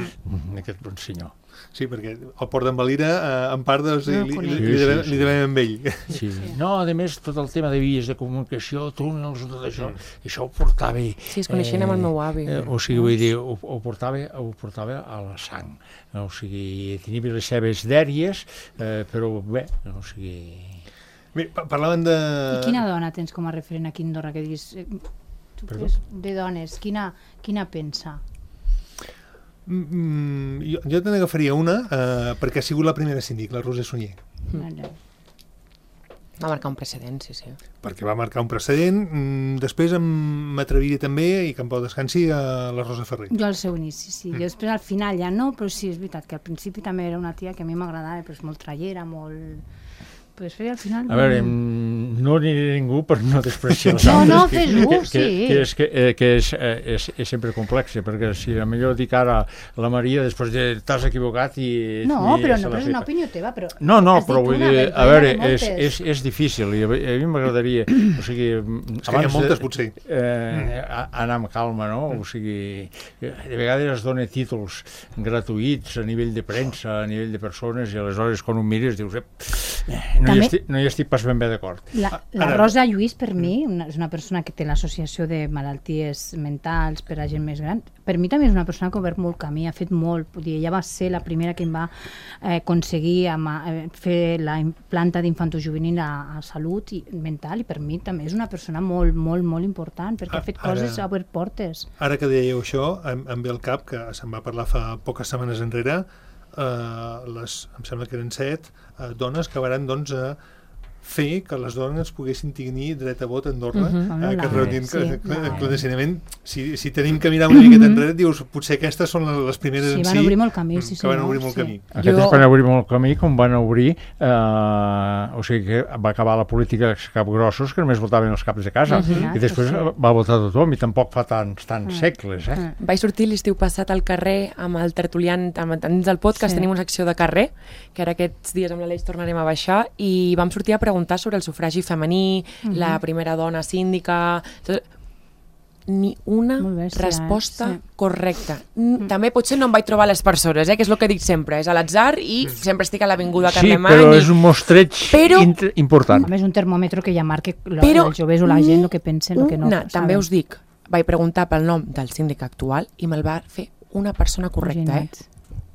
aquest bon senyor. Sí, perquè el port d'en Valira, en part, doncs, li devem amb ell. Sí. No, a més, tot el tema de vies de comunicació, túnels, tot això, això ho portava... Sí, es coneixien amb el meu avi. O sigui, vull dir, ho portava a la sang. O sigui, tenia les seves dèries, però bé, o sigui... Bé, parlaven de... I quina dona tens com a referent aquí a Andorra, que diguis... De dones, quina pensa? Jo te n'agafaria una perquè ha sigut la primera síndic, la Roser Sunyer. Va marcar un precedent, sí. Perquè va marcar un precedent. Després m'atreviria també, i que en pau descansi, a la Rosa Ferrer. Jo al seu inici, sí. Jo després al final ja no, però sí, és veritat que al principi també era una tia que a mi m'agradava, però és molt trallera, molt... Pues al final... A veure, no aniré ningú per no despreciar els altres. No, fes-ho, sí. Que és sempre complex, perquè si a millor dic ara la Maria, després t'has equivocat i... No, però no és una opinió teva, però... No, però vull dir, a veure, és difícil, i a mi m'agradaria... O sigui, és que hi ha moltes, potser. Anar amb calma, no? O sigui, de vegades es dona títols gratuïts a nivell de premsa, a nivell de persones, i aleshores quan ho mires dius... No hi estic pas ben bé d'acord. La Rosa Lluís, per mi, és una persona que té l'associació de malalties mentals per a gent més gran. Per mi també és una persona que ha obert molt camí, ha fet molt. Ella va ser la primera que em va aconseguir fer la planta d'infantojuvenil a salut mental, i per mi també és una persona molt, molt, molt important, perquè ha fet coses, ha obert portes. Ara que dèieu això, em ve al cap que se'n va parlar fa poques setmanes enrere, em sembla que eren 7 dones que van fer que les dones poguessin tenir dret a vot a Andorra, que es reunien clandestinament. Si tenim que mirar una miqueta enrere, dius, potser aquestes són les primeres en si. Sí, van obrir molt camí. Que van obrir molt camí. Aquestes van obrir molt camí, com van obrir, o sigui que va acabar la política dels capgrossos, que només votaven els caps de casa, i després va votar tothom, i tampoc fa tants segles. Vaig sortir l'estiu passat al carrer amb el tertuliant, dins del podcast tenim una secció de carrer, que ara aquests dies amb l'Aleix tornarem a baixar, i vam sortir a preguntar sobre el sufragi femení, la primera dona síndica... Ni una resposta correcta. També potser no em vaig trobar les persones, que és el que dic sempre, és a l'atzar i sempre estic a l'Avinguda Carlemany. Sí, però és un mostreig important. A més, un termòmetre que ja marca els joves o la gent el que pensen, el que no. També us dic, vaig preguntar pel nom del síndic actual i me'l va fer una persona correcta,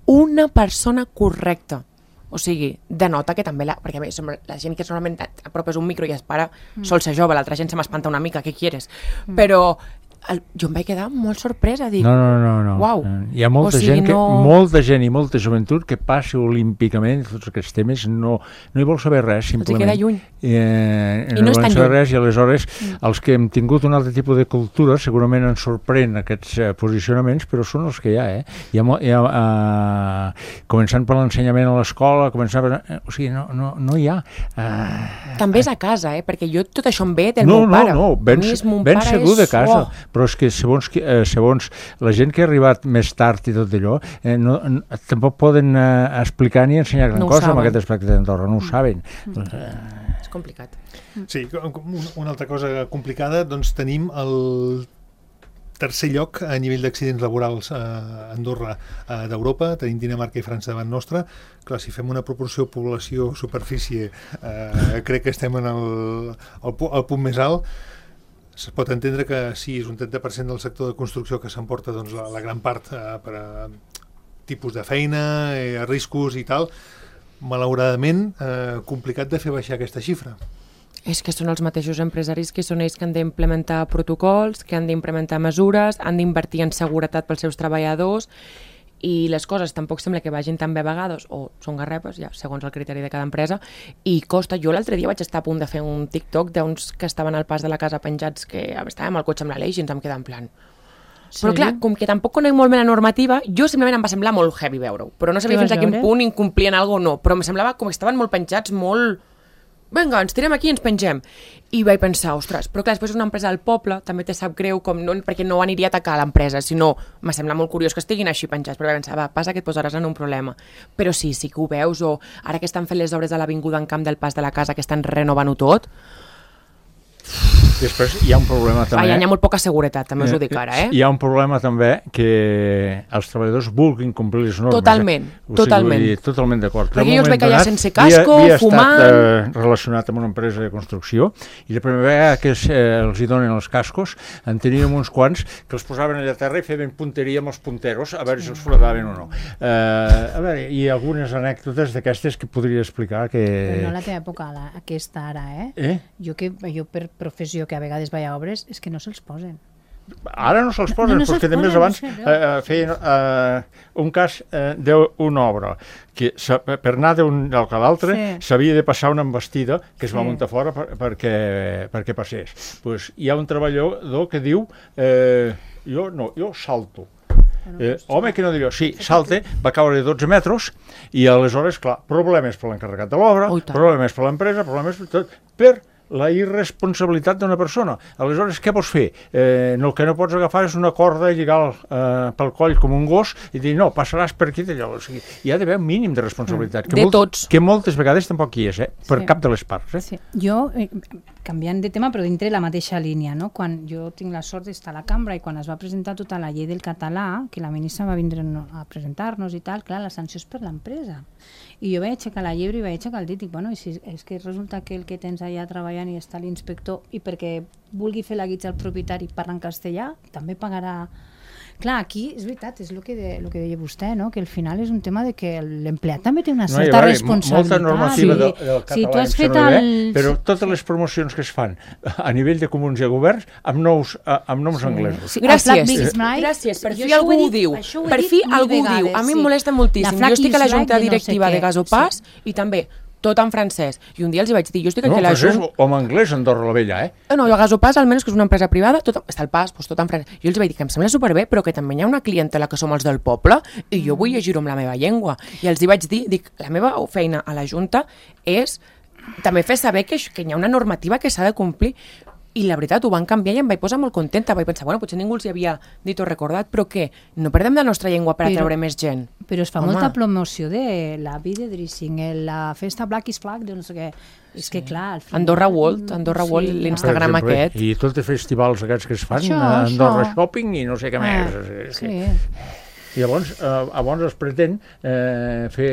Una persona correcta. O sigui, denota que també perquè a més, la gent que normalment apropes un micro i es para sol ser jove, l'altra gent se m'espanta una mica, què quieres? Però jo em vaig quedar molt sorpresa, dic... No. Uau. Hi ha molta gent i molta joventut que passa olímpicament tots aquests temes, no hi vol saber res, simplement. Els queda lluny. I no volen saber res, i aleshores els que hem tingut un altre tipus de cultura segurament ens sorprèn aquests posicionaments, però són els que hi ha, començant per l'ensenyament a l'escola, o sigui, no hi ha. També és a casa, perquè jo tot això em ve del meu pare. No, ben segur de casa. Però és que segons la gent que ha arribat més tard i tot allò, tampoc poden explicar ni ensenyar gran cosa amb aquest aspecte d'Andorra, no ho saben. És complicat. Sí, una altra cosa complicada, doncs tenim el tercer lloc a nivell d'accidents laborals a Andorra d'Europa, tenim Dinamarca i França davant nostra. Clar, si fem una proporció població-superfície, crec que estem en el punt més alt. Es pot entendre que sí, és un 30% del sector de construcció que s'emporta la gran part per a tipus de feina, riscos i tal. Malauradament, complicat de fer baixar aquesta xifra. És que són els mateixos empresaris que són ells que han d'implementar protocols, que han d'implementar mesures, han d'invertir en seguretat pels seus treballadors, i les coses tampoc sembla que vagin tan bé a vegades, o són garrepes, ja, segons el criteri de cada empresa, i costa. Jo l'altre dia vaig estar a punt de fer un TikTok d'uns que estaven al pas de la casa penjats, que estàvem al cotxe amb l'Aleix i ens vam quedar en plan... Però clar, com que tampoc conec molt bé la normativa, jo simplement em va semblar molt heavy veure-ho, però no sabia fins a quin punt incomplien alguna o no, però em semblava com que estaven molt penjats, molt... Vinga, ens tirem aquí i ens pengem. I vaig pensar, ostres, però clar, després una empresa del poble també te sap greu, perquè no aniria a atacar l'empresa, sinó me sembla molt curiós que estiguin així penjats, però vaig pensar, va, passa que et posaràs en un problema. Però sí que ho veus, o ara que estan fent les obres de l'Avinguda en Camp del Pas de la Casa, que estan renovant-ho tot, Després hi ha un problema també... Hi ha molt poca seguretat, també us ho dic ara, Hi ha un problema també que els treballadors vulguin complir les normes. Totalment, totalment. Totalment d'acord. Perquè jo els veig allà sense casco, fumant... Havia estat relacionat amb una empresa de construcció i la primera vegada que els hi donen els cascos en teníem uns quants que els posaven allà a terra i feien punteria amb els punteros a veure si els folladaven o no. A veure, hi ha algunes anècdotes d'aquestes que podria explicar que... Però no la teva època, aquesta ara, Jo per professió que a vegades vaig a obres, és que no se'ls posen. Ara no se'ls posen, perquè també abans feien un cas d'una obra que per anar d'un lloc a l'altre s'havia de passar una embestida que es va muntar fora perquè passés. Hi ha un treballador que diu jo salto. Home, que no diria, sí, salte, va caure 12 metres i aleshores, clar, problemes per l'encarregat de l'obra, problemes per l'empresa, problemes per tot, per la irresponsabilitat d'una persona. Aleshores, què pots fer? El que no pots agafar és una corda i lligar pel coll com un gos i dir, no, passaràs per aquí d'allò. O sigui, hi ha d'haver un mínim de responsabilitat. Tots. Que moltes vegades tampoc hi és, per cap de les parts. Sí. Jo, canviant de tema, però dintre la mateixa línia, no? Quan jo tinc la sort d'estar a la cambra i quan es va presentar tota la llei del català, que la ministra va vindre a presentar-nos i tal, clar, la sanció és per l'empresa. I jo vaig aixecar la llebre i vaig aixecar el dit i dic, bueno, és que resulta que el que tens allà treballant i està l'inspector i perquè vulgui fer la guitza al propietari parla en castellà, també pagarà... Clar, aquí és veritat, és el que deia vostè, no? Que al final és un tema de que l'empleat també té una certa responsabilitat. Molta normativa del català em sembla bé, però totes les promocions que es fan a nivell de comuns i governs amb noms anglesos. Gràcies, per fi algú ho diu. Per fi algú ho diu. A mi em molesta moltíssim. Jo estic a la junta directiva de Gasopàs i també tot en francès. I un dia els vaig dir, jo estic aquí a la Junta... No, o en anglès, Andorra la Vella, No, a Gasopàs, almenys, que és una empresa privada, està al pas, tot en francès. Jo els vaig dir que em sembla superbé, però que també hi ha una clientela que som els del poble i jo vull llegir-ho amb la meva llengua. I els vaig dir, la meva feina a la Junta és també fer saber que hi ha una normativa que s'ha de complir. I la veritat, ho van canviar i em vaig posar molt contenta. Vaig pensar, bueno, potser ningú els hi havia dit o recordat, però què? No perdem la nostra llengua per atreure més gent. Però es fa molta promoció de la vida de Drissing, la festa Black is Flag, de no sé què. És que clar... Andorra World, l'Instagram aquest. I tots els festivals aquests que es fan, Andorra Shopping i no sé què més. Sí. I llavors es pretén fer...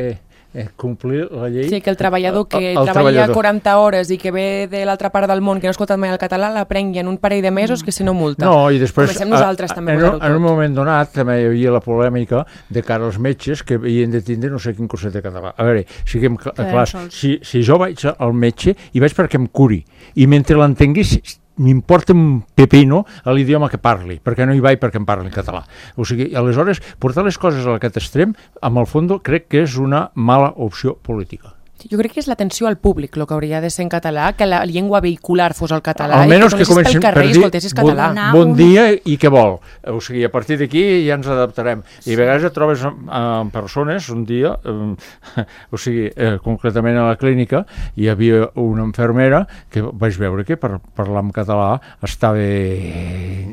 complir la llei... Sí, que el treballador que treballa 40 hores i que ve de l'altra part del món, que no ha escoltat mai el català, l'aprengui en un parell de mesos que si no multa. No, i després... Comencem nosaltres també a en un moment donat també hi havia la polèmica de cara als metges que havien de tindre no sé quin curset de català. A veure, siguem clars, si jo vaig al metge i vaig perquè em curi, i mentre l'entenguis m'importa un pepino a l'idioma que parli, perquè no hi vaig perquè em parli en català. O sigui, aleshores, portar les coses a aquest extrem, amb el fons, crec que és una mala opció política. Jo crec que és l'atenció al públic, el que hauria de ser en català, que la llengua vehicular fos el català, almenys i que comencessis pel carrer i escoltessis català. Bon dia i què vol. O sigui, a partir d'aquí ja ens adaptarem. I a vegades et trobes amb persones, un dia, o sigui, concretament a la clínica, hi havia una infermera que vaig veure que per parlar en català estava...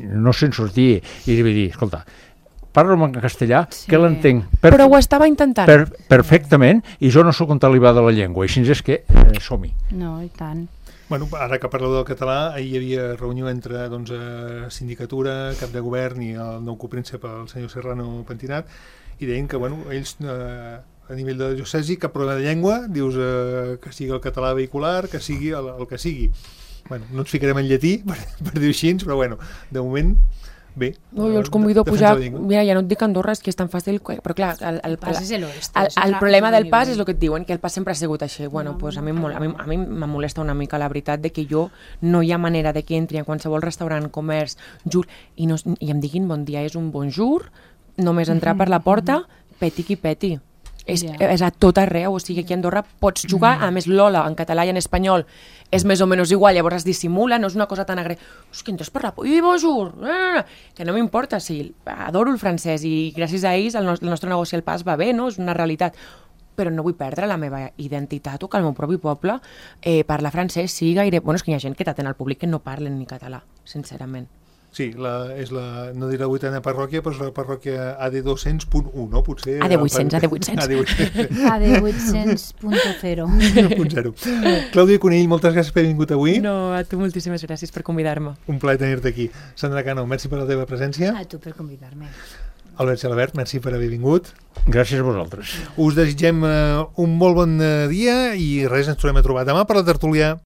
no se'n sortia. I li vaig dir, escolta, parlo en castellà, que l'entenc. Però ho estava intentant. Perfectament, i jo no sóc un talibà de la llengua, i així és que som-hi. No, i tant. Bueno, ara que parleu del català, ahir hi havia reunió entre sindicatura, cap de govern i el nou copríncep, el senyor Serrano Pentinat, i deien que ells a nivell de diocesi cap problema de llengua, dius que sigui el català vehicular, que sigui el que sigui. Bueno, no ens ficarem en lletí, per dir-ho així, però de moment... Bé, jo els convido a pujar, mira, ja no et dic Andorra, és que és tan fàcil, però clar, el problema del pas és el que et diuen, que el pas sempre ha sigut així. Bueno, doncs a mi me molesta una mica la veritat de que jo no hi ha manera de que entri en qualsevol restaurant, comerç, i em diguin bon dia, és un bonjour, només entrar per la porta, peti qui peti. És a tot arreu, o sigui, aquí a Andorra pots jugar, a més l'hola en català i en espanyol és més o menys igual, llavors es dissimula, no és una cosa tan és que entres per la... I bonjour! Que no m'importa, sí, adoro el francès i gràcies a ells el nostre negoci al pas va bé, no? És una realitat, però no vull perdre la meva identitat o que el meu propi poble parla francès, sí, gaire... Bueno, és que hi ha gent que t'atén al públic que no parlen ni català, sincerament. Sí, no diré la 8a parròquia, però és la parròquia AD200.1, no? Potser... AD800. AD800.0. Clàudia Conill, moltes gràcies per haver vingut avui. No, a tu moltíssimes gràcies per convidar-me. Un plaer tenir-te aquí. Sandra Cano, merci per la teva presència. A tu per convidar-me. Albert Gelabert, merci per haver vingut. Gràcies a vosaltres. Us desitgem un molt bon dia i res, ens tornem a trobar demà per la tertúlia.